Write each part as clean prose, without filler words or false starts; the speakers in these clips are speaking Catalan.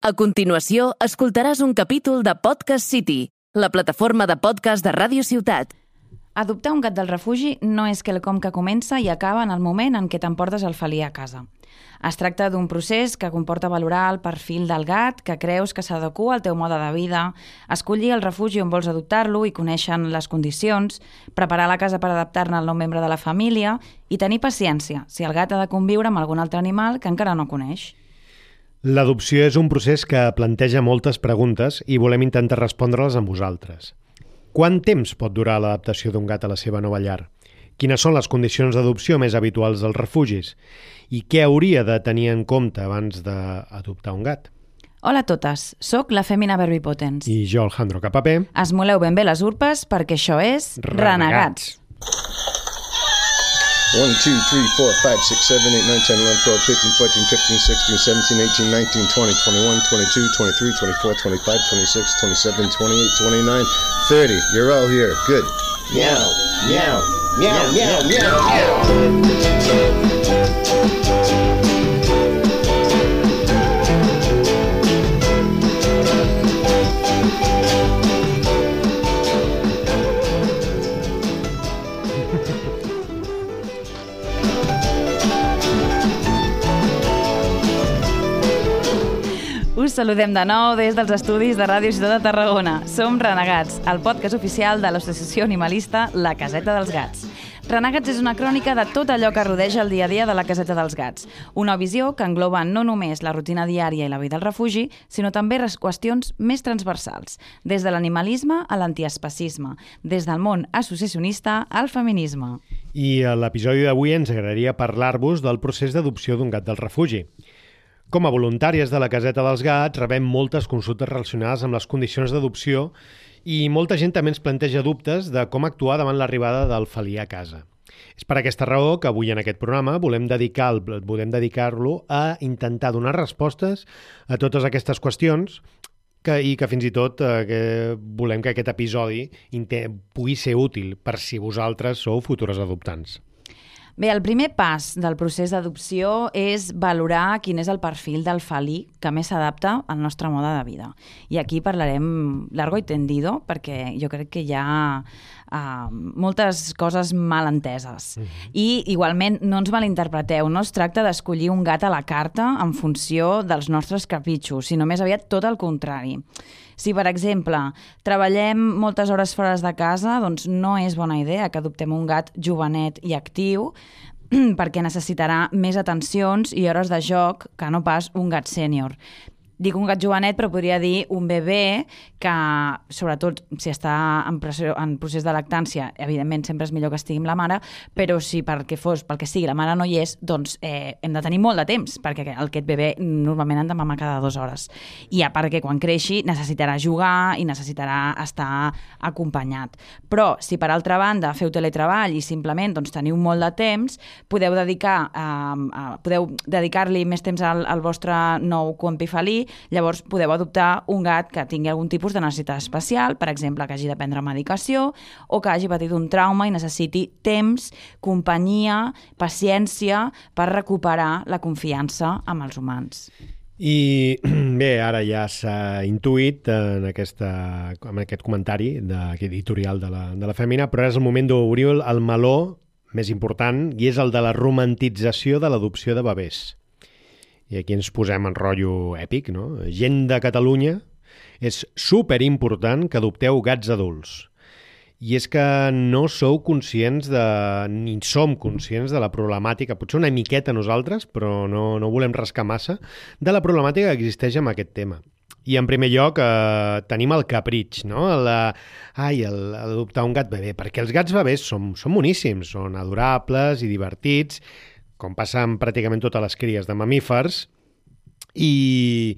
A continuació, escoltaràs un capítol de Podcast City, la plataforma de podcast de Ràdio Ciutat. Adoptar un gat del refugi no és quelcom que comença i acaba en el moment en què t'emportes el felí a casa. Es tracta d'un procés que comporta valorar el perfil del gat que creus que s'adequa al teu mode de vida, escollir el refugi on vols adoptar-lo i conèixer les condicions, preparar la casa per adaptar-ne al nou membre de la família i tenir paciència si el gat ha de conviure amb algun altre animal que encara no coneix. L'adopció és un procés que planteja moltes preguntes i volem intentar respondre-les amb vosaltres. Quant temps pot durar l'adaptació d'un gat a la seva nova llar? Quines són les condicions d'adopció més habituals dels refugis? I què hauria de tenir en compte abans d'adoptar un gat? Hola a totes, sóc la Fèmina Verbipotens. I jo, Alejandro Capapé. Esmoleu ben bé les urpes perquè això és Renegats. 1, 2, 3, 4, 5, 6, 7, 8, 9, 10, 11, 12, 13, 14, 15, 16, 17, 18, 19, 20, 21, 22, 23, 24, 25, 26, 27, 28, 29, 30. You're all here. Good. Meow, meow, meow, meow, meow, meow. Us saludem de nou des dels estudis de Ràdio Ciutat de Tarragona. Som Renegats, el podcast oficial de l'associació animalista La Caseta dels Gats. Renegats és una crònica de tot allò que rodeja el dia a dia de la Caseta dels Gats. Una visió que engloba no només la rutina diària i la vida al refugi, sinó també qüestions més transversals, des de l'animalisme a l'antiespecisme, des del món associacionista al feminisme. I a l'episodi d'avui ens agradaria parlar-vos del procés d'adopció d'un gat del refugi. Com a voluntàries de la Caseta dels Gats rebem moltes consultes relacionades amb les condicions d'adopció i molta gent també ens planteja dubtes de com actuar davant l'arribada del felí a casa. És per aquesta raó que avui en aquest programa volem dedicar-lo a intentar donar respostes a totes aquestes qüestions i que fins i tot volem que aquest episodi pugui ser útil per si vosaltres sou futures adoptants. Bé, el primer pas del procés d'adopció és valorar quin és el perfil del felí que més s'adapta al nostre mode de vida. I aquí parlarem largo i tendido, perquè jo crec que hi ha moltes coses mal enteses. I igualment no ens malinterpreteu, no es tracta d'escollir un gat a la carta en funció dels nostres capritxos, sinó més aviat tot el contrari. Si, per exemple, treballem moltes hores fora de casa, doncs no és bona idea que adoptem un gat jovenet i actiu perquè necessitarà més atencions i hores de joc que no pas un gat sènior. Dic un gat jovenet, però podria dir un bebè que, sobretot si està en procés de lactància, evidentment sempre és millor que estigui amb la mare, però si pel que sigui la mare no hi és, doncs hem de tenir molt de temps, perquè aquest bebè normalment han de mamar cada 2 hores. I perquè quan creixi necessitarà jugar i necessitarà estar acompanyat. Però si per altra banda feu teletreball i simplement teniu molt de temps, podeu dedicar-li més temps al vostre nou compi felí. Llavors podeu adoptar un gat que tingui algun tipus de necessitat especial, per exemple, que hagi de prendre medicació o que hagi patit un trauma i necessiti temps, companyia, paciència per recuperar la confiança amb els humans. I bé, ara ja s'ha intuït en aquest comentari editorial de la Fèmina, però és el moment d'obrir el meló més important i és el de la romantització de l'adopció de bebès. I aquí ens posem en rotllo èpic, no? Gent de Catalunya, és superimportant que adopteu gats adults. I és que no sou conscients ni som conscients de la problemàtica, potser una miqueta nosaltres, però no volem rascar massa, de la problemàtica que existeix amb aquest tema. I en primer lloc tenim el capritx, no? Adoptar un gat bebè, perquè els gats bebès són boníssims, són adorables i divertits, com passa amb pràcticament totes les cries de mamífers, i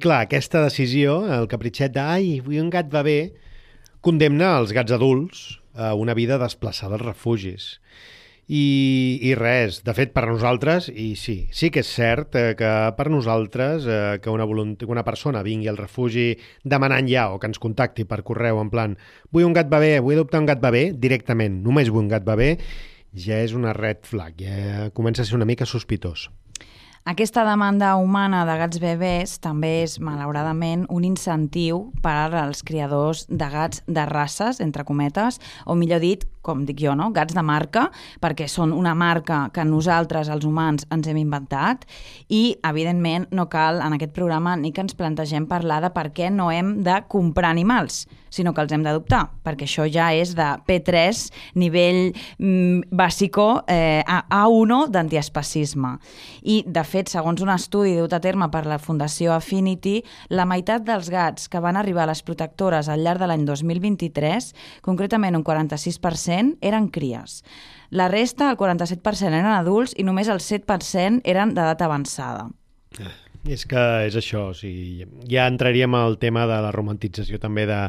clar, aquesta decisió, el capritxet de vull un gat bebè, condemna els gats adults a una vida desplaçada als refugis. I res, de fet, per nosaltres, i sí que és cert que per nosaltres que una persona vingui al refugi demanant ja o que ens contacti per correu en plan vull un gat bebè, vull adoptar un gat bebè, directament, només vull un gat bebè, ja és una red flag, ja comença a ser una mica sospitós. Aquesta demanda humana de gats bebès també és, malauradament, un incentiu per als criadors de gats de races, entre cometes, o millor dit, com dic jo, no? Gats de marca, perquè són una marca que nosaltres, els humans, ens hem inventat i, evidentment, no cal en aquest programa ni que ens plantegem parlar de per què no hem de comprar animals, sinó que els hem d'adoptar, perquè això ja és de P3, nivell bàsico A1 d'antiespecisme. I, de fet, segons un estudi dut a terme per la Fundació Affinity, la meitat dels gats que van arribar a les protectores al llarg de l'any 2023, concretament un 46%, eren cries. La resta, el 47%, eren adults i només el 7% eren d'edat avançada. És que és això, o sigui, ja entraríem al tema de la romantització també de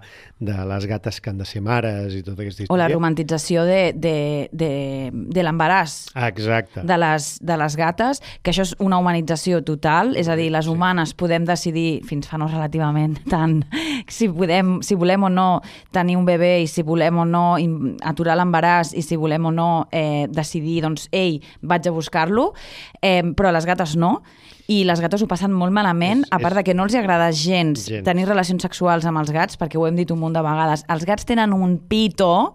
les gates que han de ser mares i tota aquesta història. O la romantització de l'embaràs. Exacte. De les gates, que això és una humanització total, és a dir, les humanes podem decidir, fins fa no relativament tant, si volem o no tenir un bebè i si volem o no aturar l'embaràs i si volem o no decidir, doncs, ei, vaig a buscar-lo, però les gates no. I les gates ho passen molt malament, a part de que no els agrada gens tenir relacions sexuals amb els gats, perquè ho hem dit un munt de vegades. Els gats tenen un pito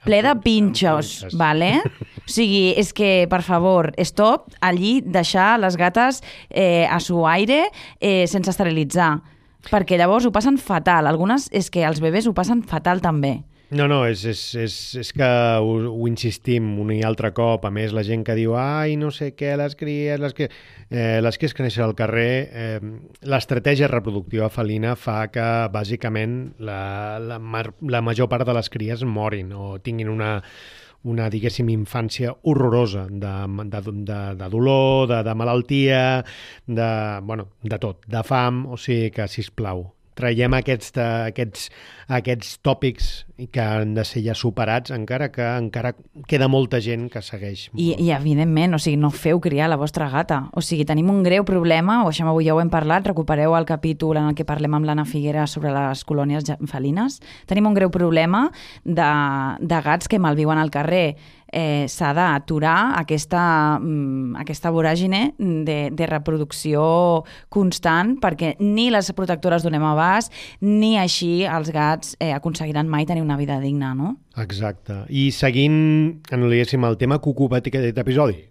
ple de pinxos, vale? O sigui, és que, per favor, stop, allí deixar les gates a su aire sense esterilitzar, perquè llavors ho passen fatal. Algunes és que els bebès ho passen fatal també. No, és que ho insistim un i altre cop. A més, la gent que diu ai, no sé què, les cries que neixen al carrer, l'estratègia reproductiva felina fa que, bàsicament, la major part de les cries morin o tinguin una diguéssim, infància horrorosa de dolor, de malaltia, de tot, de fam, o sigui que, sisplau, traiem aquests tòpics que han de ser ja superats, encara queda molta gent que segueix. I evidentment, o sigui, no feu criar la vostra gata. O sigui, tenim un greu problema, o això avui ja ho hem parlat, recupereu el capítol en el que parlem amb l'Anna Figuera sobre les colònies felines. Tenim un greu problema de gats que malviuen al carrer. S'ha d'aturar aquesta voràgine de reproducció constant, perquè ni les protectores donem abast, ni així els gats aconseguiran mai tenir una vida digna, no? Exacte. I seguint, diguéssim, el tema que ocupa aquest episodi,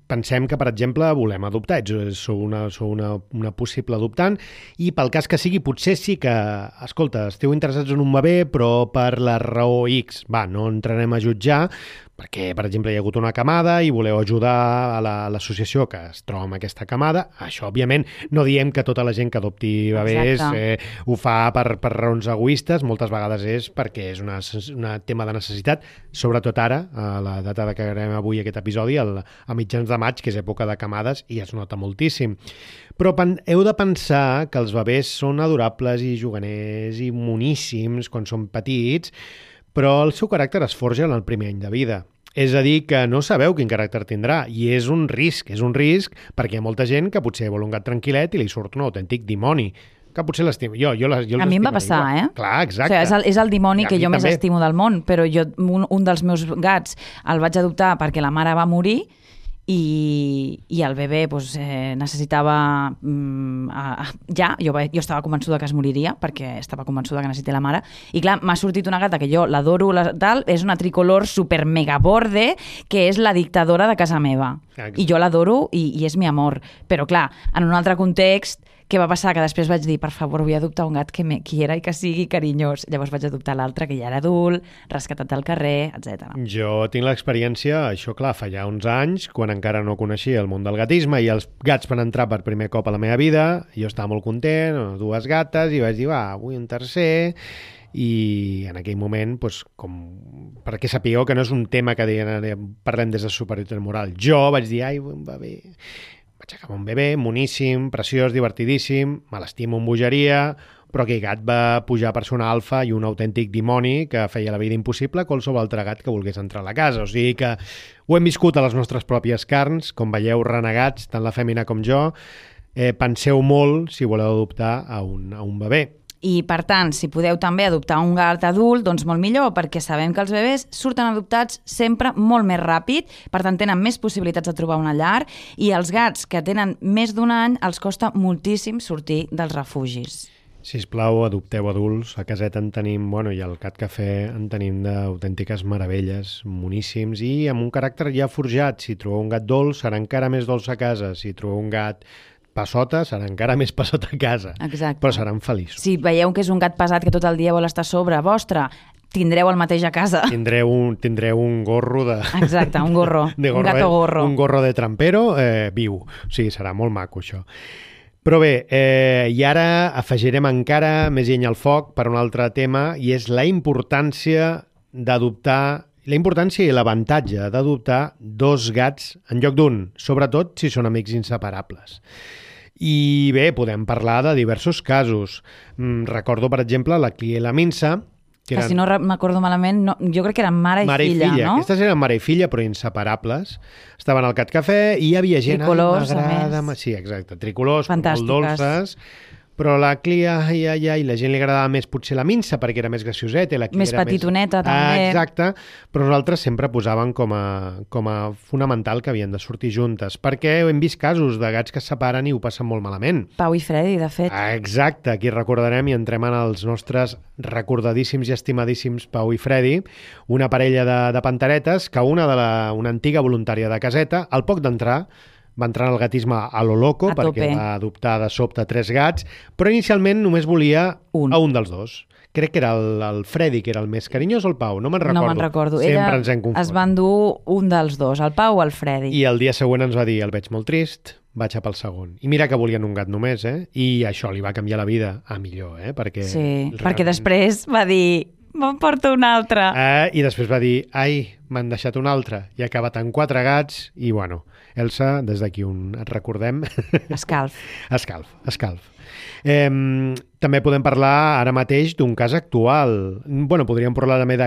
pensem que, per exemple, volem adoptar, sou una possible adoptant, i pel cas que sigui, potser sí que, escolta, esteu interessats en un bebè, però per la raó X, no entrarem a jutjar, perquè, per exemple, hi ha hagut una camada i voleu ajudar a l'associació que es troba amb aquesta camada. Això, òbviament, no diem que tota la gent que adopti bebès ho fa per raons egoistes, moltes vegades és perquè és un tema de necessitat, sobretot ara, a la data que gravarem avui aquest episodi, a mitjans de maig, que és època de camades, i es nota moltíssim. Però heu de pensar que els bebès són adorables i juganers i moníssims quan són petits, però el seu caràcter es forja en el primer any de vida. És a dir, que no sabeu quin caràcter tindrà, i és un risc perquè hi ha molta gent que potser vol un gat tranquil·let i li surt un autèntic dimoni, que potser l'estima. A mi em va passar, Clar, exacte. O sigui, és el dimoni que jo més estimo del món, però un dels meus gats el vaig adoptar perquè la mare va morir, i el bebè necessitava jo estava convençuda que es moriria perquè estava convençuda que necessités la mare, i clar, m'ha sortit una gata que jo l'adoro, és una tricolor super mega borde, que és la dictadora de casa meva. Exacte. I jo l'adoro i és mi amor, però clar, en un altre context, què va passar? Que després vaig dir, per favor, vull adoptar un gat que me quiera i que sigui carinyós. Llavors vaig adoptar l'altre, que ja era adult, rescatat del carrer, etc. Jo tinc l'experiència, això clar, fa ja uns anys, quan encara no coneixia el món del gatisme i els gats van entrar per primer cop a la meva vida, jo estava molt content, dues gates, i vaig dir, vull un tercer, i en aquell moment, perquè sapigueu que no és un tema que parlem des de superioritat moral. Jo vaig dir, un bebè. Vaig acabar un bebè, moníssim, preciós, divertidíssim, me l'estimo amb bogeria, però aquell gat va pujar per ser un alfa i un autèntic dimoni que feia la vida impossible a qualsevol altre gat que volgués entrar a la casa. O sigui que ho hem viscut a les nostres pròpies carns, com veieu, renegats, tant la fèmina com jo. Penseu molt si voleu adoptar a un bebè. I, per tant, si podeu també adoptar un gat adult, doncs molt millor, perquè sabem que els bebès surten adoptats sempre molt més ràpid, per tant, tenen més possibilitats de trobar una llar, i els gats que tenen més d'un any els costa moltíssim sortir dels refugis. Sisplau, adopteu adults. A caseta en tenim, i al Cat Cafè en tenim d'autèntiques meravelles, moníssims, i amb un caràcter ja forjat. Si trobeu un gat dolç, serà encara més dolç a casa. Si trobeu un gat passota, serà encara més passota a casa. Exacte. Però seran feliços. Si veieu que és un gat pesat que tot el dia vol estar a sobre vostre, tindreu el mateix a casa. Tindreu un gorro de... Exacte, un gorro. Un gato gorro. Un gorro de trampero viu. O sigui, serà molt maco, això. Però bé, i ara afegirem encara més llenya al foc per un altre tema, i és la importància i l'avantatge d'adoptar 2 gats en lloc d'un, sobretot si són amics inseparables. I bé, podem parlar de diversos casos. Recordo, per exemple, la Clia i la Minsa, que si no m'acordo malament, jo crec que eren mare i filla, no? Aquestes eren mare i filla, però inseparables. Estaven al Cat Cafè i hi havia gent... Tricolors, a més. Sí, exacte, tricolors, fantàstiques, molt dolces. Però la Clia, i la gent li agradava més potser la Minsa, perquè era més gracioseta. Més petitoneta, també. Exacte, però nosaltres sempre posàvem com a fonamental que havien de sortir juntes, perquè hem vist casos de gats que es separen i ho passen molt malament. Pau i Freddy, de fet. Exacte, aquí recordarem i entrem en els nostres recordadíssims i estimadíssims Pau i Freddy, una parella de panteretes que una antiga voluntària de caseta, al poc d'entrar, va entrar en el gatisme a lo loco, perquè va adoptar de sobte 3 gats, però inicialment només volia a un dels 2. Crec que era el Freddy, que era el més carinyós, o el Pau, no me'n recordo. No me'n recordo. Sempre ens hem confós. Es van dur un dels 2, el Pau o el Freddy. I el dia següent ens va dir, el veig molt trist, vaig a pel segon. I mira que volien un gat només, I això li va canviar la vida a millor, perquè... Sí, perquè després va dir... Me'n porto un altre. I després va dir, m'han deixat un altre. I ha acabat amb 4 gats i, Elsa, des d'aquí et recordem... Escalf. Escalf. També podem parlar ara mateix d'un cas actual. Podríem parlar també de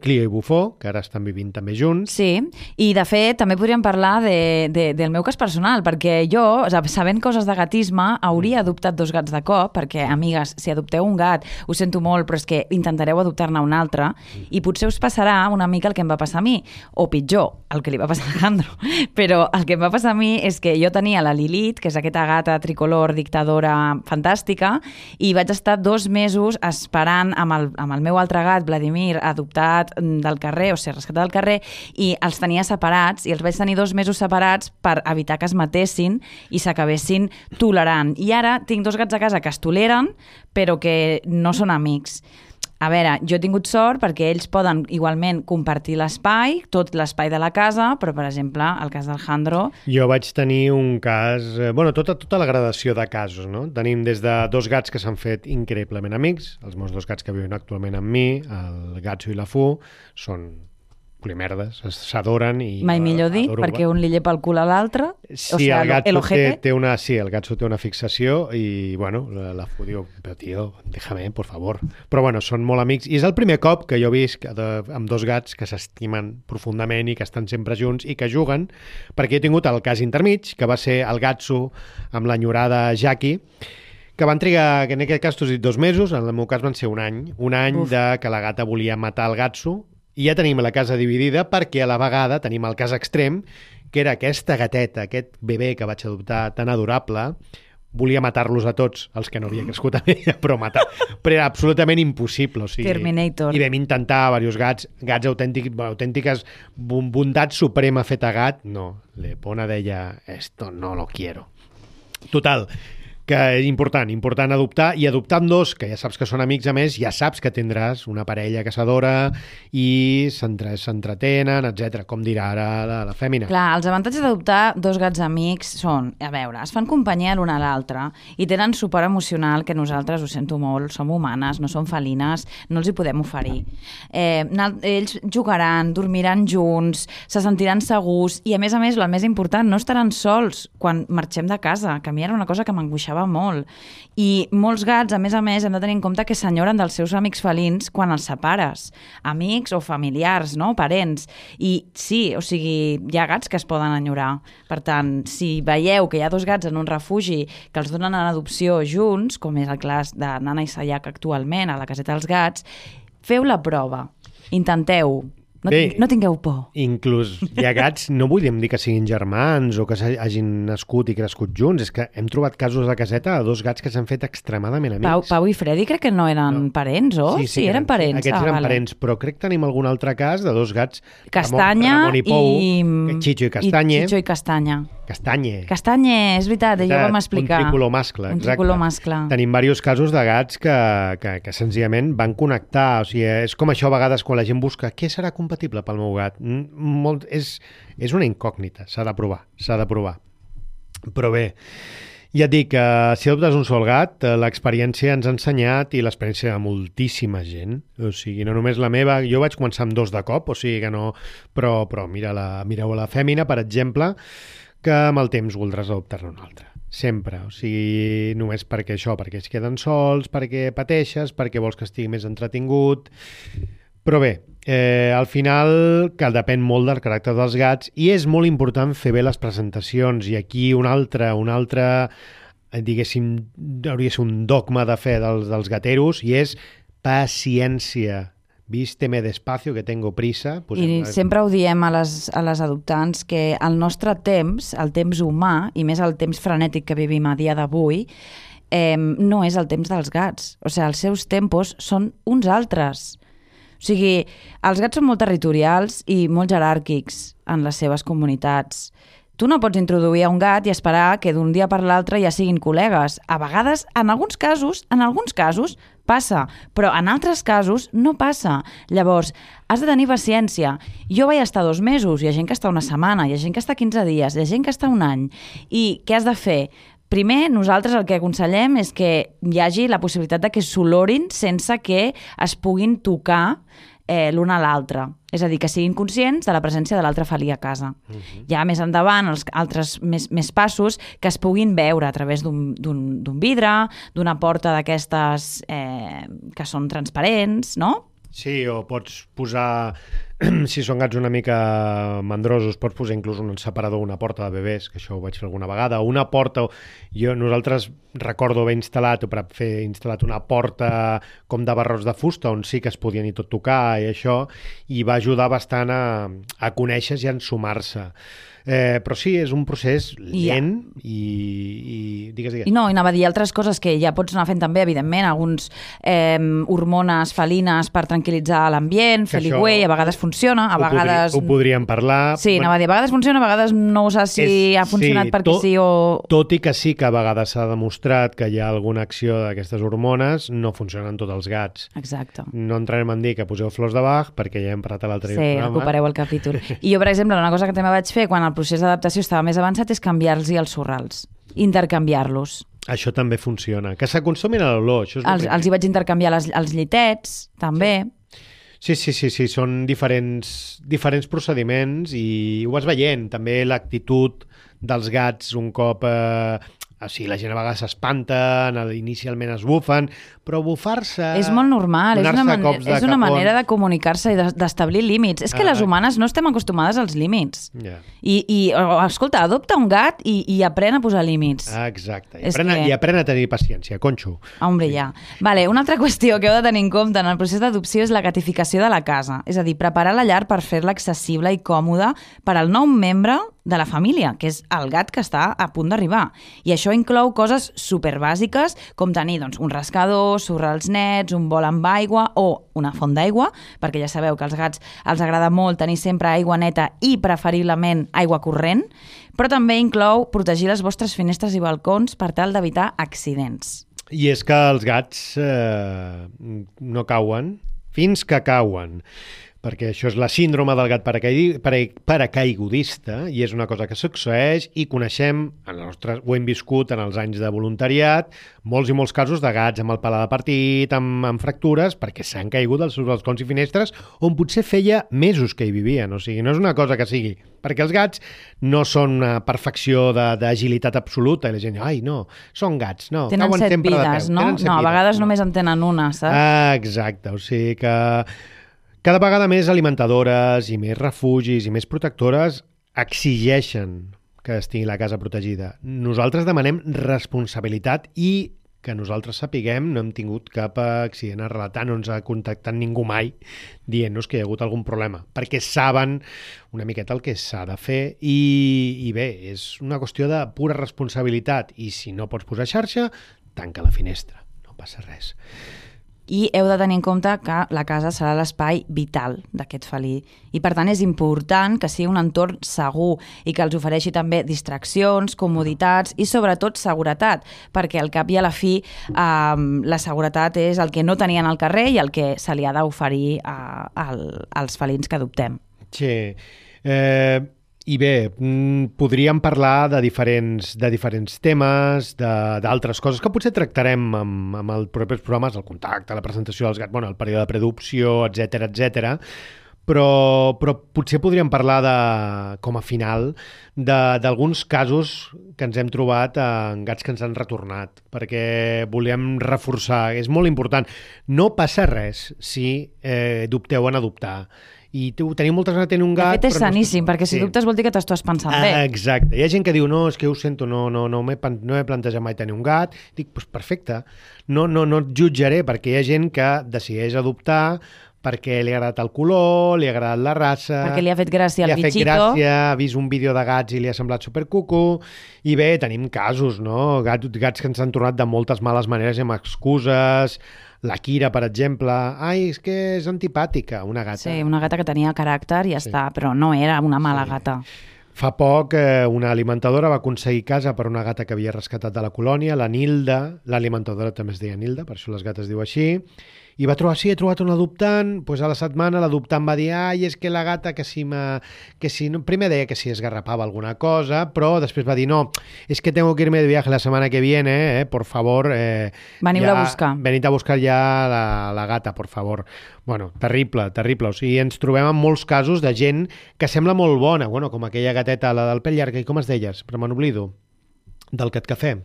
Clia i Bufó, que ara estan vivint també junts. Sí, i de fet també podríem parlar del meu cas personal, perquè jo, sabent coses de gatisme, hauria adoptat 2 gats de cop, perquè, amigues, si adopteu un gat, ho sento molt, però és que intentareu adoptar-ne un altre, i potser us passarà una mica el que em va passar a mi, o pitjor, el que li va passar a Alejandro. Però el que em va passar a mi és que jo tenia la Lilith, que és aquesta gata tricolor dictadora fantàstica, i vaig estar 2 mesos esperant amb el meu altre gat, Vladimir, adoptat del carrer, o sigui, rescatat del carrer, i els tenia separats, i els vaig tenir 2 mesos separats per evitar que es matessin i s'acabessin tolerant. I ara tinc 2 gats a casa que es toleren, però que no són amics. A veure, jo he tingut sort perquè ells poden igualment compartir l'espai, tot l'espai de la casa, però, per exemple, el cas d'Alejandro... Jo vaig tenir un cas... tota la gradació de casos, no? Tenim des de 2 gats que s'han fet increïblement amics, els meus 2 gats que viuen actualment amb mi, el Gatso i la Fu, són polimerdes, s'adoren i... Mai millor dir, perquè un li llepa el cul a l'altre. Sí, el Gatso té una fixació i, la Fu diu, però tio, déjame, por favor. Però, són molt amics. I és el primer cop que jo visc amb 2 gats que s'estimen profundament i que estan sempre junts i que juguen, perquè he tingut el cas intermig, que va ser el Gatso amb l'enyorada Jackie, que van trigar, que en aquest cas t'ho he dit 2 mesos, en el meu cas van ser un any de que la gata volia matar el Gatso. I ja tenim la casa dividida perquè a la vegada tenim el cas extrem, que era aquesta gateta, aquest bebè que vaig adoptar tan adorable, volia matar-los a tots, els que no havia crescut amb ella, però era absolutament impossible. O sigui, Terminator. I vam intentar diversos gats autèntiques, bondat suprema feta gat. No, Lepona deia, esto no lo quiero. Total, que és important adoptar, i adoptar amb 2, que ja saps que són amics, a més, ja saps que tindràs una parella que s'adora i s'entretenen, etc. Com dirà ara la fèmina. Clar, els avantatges d'adoptar 2 gats amics són, a veure, es fan companyia l'un a l'altre i tenen suport emocional, que nosaltres, ho sento molt, som humanes, no som felines, no els hi podem oferir. Ells jugaran, dormiran junts, se sentiran segurs i, a més, el més important, no estaran sols quan marxem de casa, que a mi era una cosa que m'angoixava passava molt. I molts gats, a més, hem de tenir en compte que s'enyoren dels seus amics felins quan els separes. Amics o familiars, no? Parents. I sí, o sigui, hi ha gats que es poden enyorar. Per tant, si veieu que hi ha 2 gats en un refugi que els donen en adopció junts, com és el cas de Nana i Sayak actualment a la caseta dels gats, feu la prova. Intenteu. No tingueu por. Inclús hi ha gats, no volíem dir que siguin germans o que hagin nascut i crescut junts, és que hem trobat casos de caseta de 2 gats que s'han fet extremadament amics. Pau i Freddy crec que no eren parents, o? Sí, eren parents. Aquests eren parents, però crec que tenim algun altre cas de 2 gats, Castanya Ramon i Pou, Chicho i Castanya. Chicho i Castanya. Castanye, és veritat, ja ho vam explicar. Un tricolor mascle, exacte. Un tricolor mascle. Tenim diversos casos de gats que senzillament van connectar, o sigui, és com això a vegades quan la gent busca què serà compatible pel meu gat. És una incògnita, s'ha de provar. Però bé, ja et dic que si adoptes un sol gat, l'experiència ens ha ensenyat i l'experiència de moltíssima gent, o sigui, no només la meva, jo vaig començar amb 2 de cop, o sigui que no, però mireu la fèmina, per exemple, que amb el temps voldràs adoptar-ne un altre. Sempre, o sigui, només perquè es queden sols, perquè pateixes, perquè vols que estigui més entretingut. Però bé, al final que depèn molt del caràcter dels gats i és molt important fer bé les presentacions i aquí un altre diguéssim, hauria de ser un dogma de fe dels gateros i és paciència. Vísteme despacio, que tengo prisa. I sempre ho diem a les adoptants que el nostre temps, el temps humà, i més el temps frenètic que vivim a dia d'avui, no és el temps dels gats. O sigui, els seus tempos són uns altres. O sigui, els gats són molt territorials i molt jeràrquics en les seves comunitats. Tu no pots introduir a un gat i esperar que d'un dia per l'altre ja siguin col·legues. A vegades, en alguns casos, passa, però en altres casos no passa. Llavors, has de tenir paciència. Jo vaig estar 2 mesos, hi ha gent que està 1 setmana, hi ha gent que està 15 dies, hi ha gent que està 1 any. I què has de fer? Primer, nosaltres el que aconsellem és que hi hagi la possibilitat de que s'olorin sense que es puguin tocar l'un a l'altre. És a dir, que siguin conscients de la presència de l'altre felí a casa. Ja més endavant, els altres més passos, que es puguin veure a través d'un vidre, d'una porta d'aquestes que són transparents, no? Sí, o pots posar, si són gats una mica mandrosos, pots posar inclús un separador, una porta de bebès, que això ho vaig fer alguna vegada, una porta, nosaltres recordo haver instal·lat una porta com de barrots de fusta, on sí que es podien i tot tocar i això, i va ajudar bastant a conèixer i a ensumar-se. Però sí, és un procés lent i digues. I anava a dir altres coses que ja pots anar fent també, evidentment, alguns hormones felines per tranquil·litzar l'ambient, fer ligüey, a vegades funciona, a vegades... Ho podríem parlar. Sí, anava a dir, a vegades funciona, a vegades no ho saps si ha funcionat perquè sí o... Tot i que sí que a vegades s'ha demostrat que hi ha alguna acció d'aquestes hormones, no funcionen tots els gats. Exacte. No entrarem en dir que poseu flors de Bach, perquè ja hem parlat a l'altre programa. Sí, recupereu el capítol. I jo, per exemple, una cosa que també vaig fer quan el procés d'adaptació estava més avançat és canviar-los els sorrals, intercanviar-los. Això també funciona. Que s'aconsumin a l'olor. Els hi vaig intercanviar els llitets, també. Sí, són diferents procediments i ho vas veient. També l'actitud dels gats un cop... O sigui, la gent a vegades s'espanten, inicialment es bufen, però bufar-se... És molt normal, és una manera de comunicar-se i d'establir límits. És que les humanes no estem acostumades als límits. Yeah. I escolta, adopta un gat i aprèn a posar límits. Exacte, i aprèn a tenir paciència, conxo. Hombre, ja. Vale, una altra qüestió que heu de tenir en compte en el procés d'adopció és la gatificació de la casa. És a dir, preparar la llar per fer-la accessible i còmoda per al nou membre de la família, que és el gat que està a punt d'arribar. I això inclou coses superbàsiques, com tenir un rascador, sorrals nets, un bol amb aigua o una font d'aigua, perquè ja sabeu que als gats els agrada molt tenir sempre aigua neta i preferiblement aigua corrent, però també inclou protegir les vostres finestres i balcons per tal d'evitar accidents. I és que els gats no cauen fins que cauen. perquè això és la síndrome del gat paracaigudista i és una cosa que succeeix i coneixem, ho hem viscut en els anys de voluntariat, molts i molts casos de gats amb el paladar partit, amb fractures, perquè s'han caigut dels seus balcons i finestres on potser feia mesos que hi vivien. O sigui, no és una cosa que sigui, perquè els gats no són una perfecció d'agilitat absoluta i la gent, ai, no, són gats, no. Tenen 7 vides, no? No, a vegades només en tenen una, saps? Exacte, o sigui que cada vegada més alimentadores i més refugis i més protectores exigeixen que estigui la casa protegida. Nosaltres demanem responsabilitat i que nosaltres sapiguem no hem tingut cap accident a relatar, no ens ha contactat ningú mai dient-nos que hi ha hagut algun problema, perquè saben una miqueta el que s'ha de fer i bé, és una qüestió de pura responsabilitat i si no pots posar xarxa, tanca la finestra, no passa res. I heu de tenir en compte que la casa serà l'espai vital d'aquest felí i per tant és important que sigui un entorn segur i que els ofereixi també distraccions, comoditats i sobretot seguretat, perquè al cap i a la fi la seguretat és el que no tenien al carrer i el que se li ha d'oferir als felins que adoptem. Sí, i bé, podríem parlar de diferents temes, d'altres coses que potser tractarem amb els propers programes, el contacte, la presentació dels gats, el període de predopció, etc. Però potser podríem parlar com a final d'alguns casos que ens hem trobat en gats que ens han retornat, perquè volem reforçar, és molt important. No passa res si dubteu en adoptar. I teniu moltes ganes de tenir un gat... De fet, és saníssim, perquè si dubtes vol dir que t'ho estàs pensant bé. Exacte. Hi ha gent que diu, no, és que ho sento, no m'he plantejat mai tenir un gat. Dic, doncs perfecte. No et jutjaré, perquè hi ha gent que decideix adoptar perquè li ha agradat el color, li ha agradat la raça... Perquè li ha fet gràcia al bitxito. Li ha fet gràcia, ha vist un vídeo de gats i li ha semblat supercuco. I bé, tenim casos, no? Gats que ens han tornat de moltes males maneres i amb excuses... La Kira, per exemple, és que és antipàtica, una gata. Sí, una gata que tenia caràcter i ja està, però no era una mala gata. Fa poc una alimentadora va aconseguir casa per una gata que havia rescatat de la colònia, la Nilda, l'alimentadora també es deia Nilda, per això les gates diu així, i va trobar, he trobat un adoptant, doncs a la setmana l'adoptant va dir, és que la gata primer deia que si esgarrapava alguna cosa, però després va dir, no, és que tengo que irme de viaje la semana que viene, por favor. Veniu-la a buscar. Venid a buscar ja la gata, por favor. Bueno, terrible. O sigui, ens trobem en molts casos de gent que sembla molt bona, com aquella gateta, la del pèl llarg, i com es deia? Però me n'oblido. Del Cat Cafè.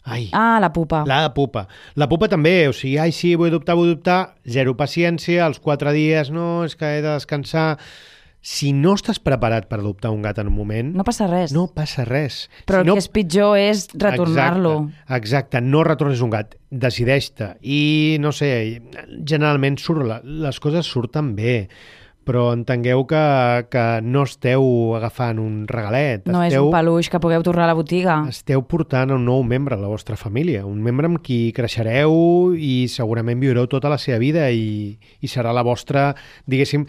La pupa. La pupa. La pupa també, o sigui, sí, vull adoptar, zero paciència, als 4 dies, no, és que he de descansar. Si no estàs preparat per adoptar un gat en un moment... No passa res. No passa res. Però el que és pitjor és retornar-lo. Exacte, no retornes un gat, decideix-te. I, no sé, generalment les coses surten bé, però entengueu que no esteu agafant un regalet. No és un peluix que pugueu tornar a la botiga. Esteu portant un nou membre a la vostra família, un membre amb qui creixereu i segurament viureu tota la seva vida i serà la vostra, diguéssim,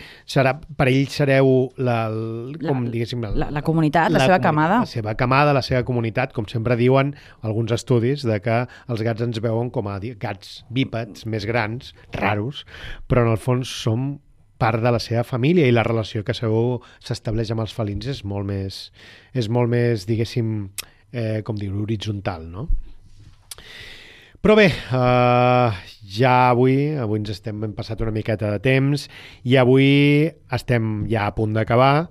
per ell sereu la comunitat, la seva camada. La seva camada, la seva comunitat, com sempre diuen alguns estudis, de que els gats ens veuen com a gats bípeds, més grans, raros, però en el fons som part de la seva família i la relació que s'estableix amb els felins és molt més, diguéssim, com dir-ho, horitzontal, no? Però bé, ja avui ens hem passat una miqueta de temps i avui estem ja a punt d'acabar.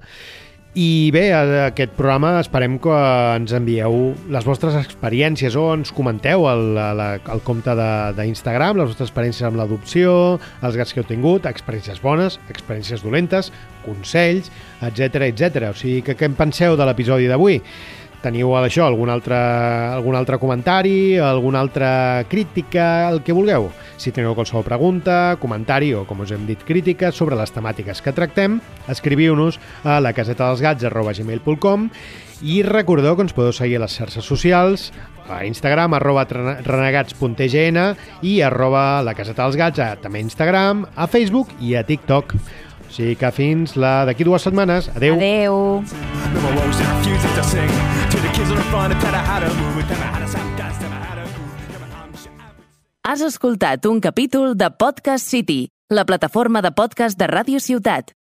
I bé, aquest programa esperem que ens envieu les vostres experiències o ens comenteu al compte d'Instagram, les vostres experiències amb l'adopció, els gats que heu tingut, experiències bones, experiències dolentes, consells, etc. O sigui, què en penseu de l'episodi d'avui? Teniu això, algun altre comentari, alguna altra crítica, el que vulgueu. Si teniu qualsevol pregunta, comentari o, com us hem dit, crítica sobre les temàtiques que tractem, escriviu-nos a lacasetadelsgats@gmail.com i recordeu que ens podeu seguir a les xarxes socials, a Instagram, @renegats.tgn i @lacasetadelsgats, també a Instagram, a Facebook i a TikTok. O sigui que fins d'aquí 2 setmanes. Adeu. Adeu. Has escoltat un capítol de Podcast City, la plataforma de podcast de Ràdio Ciutat.